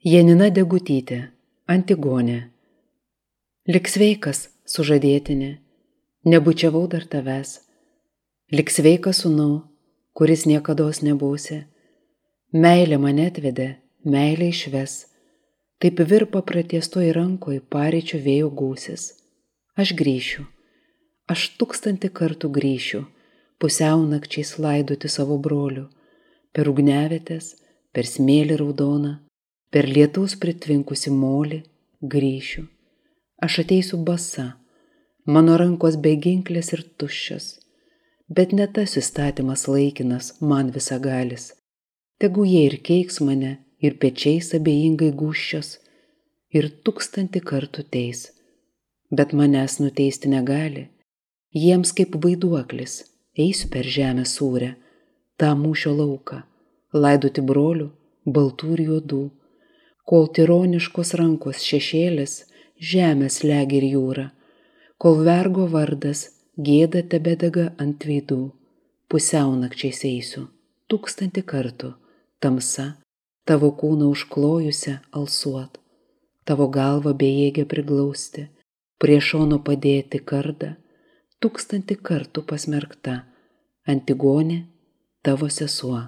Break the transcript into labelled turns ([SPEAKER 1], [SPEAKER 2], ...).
[SPEAKER 1] Janina Degutytė, Antigonė. Lik sveikas, sužadėtinė, nebučiavau dar tavęs. Lik sveikas sūnau, kuris niekados nebūsi. Meilė mane atvedė, meilė išves. Taip virpa pratiestoj rankoj paryčių vėjo gūsis. Aš grįšiu, aš 1000 kartų grįšiu, pusiaunakčiais laidoti savo brolių, per ugniavietės, per smėlį raudoną, per lietaus pritvinkusi molį grįšiu. Aš ateisiu basa, mano rankos beginklės ir tuščios, bet ne tas įstatymas laikinas, man visagalis. Tegu jie ir keiks mane, ir pečiais abejingai gūščios, ir 1000 kartų teis, bet manęs nuteisti negali. Jiems kaip vaiduoklis eisiu per žemę sūrę, tą mūšio lauką, laidoti brolių, baltų ir juodų, kol tironiškos rankos šešėlis žemės legi ir jūra, kol vergo vardas gėda tebedega ant veidų, pusiaunakčiais eisiu 1000 kartų, tamsa tavo kūną užklojusią alsuot, tavo galvą bejėgę priglausti, prie šono padėti kardą, 1000 kartų pasmerkta, Antigonė, tavo sesuo.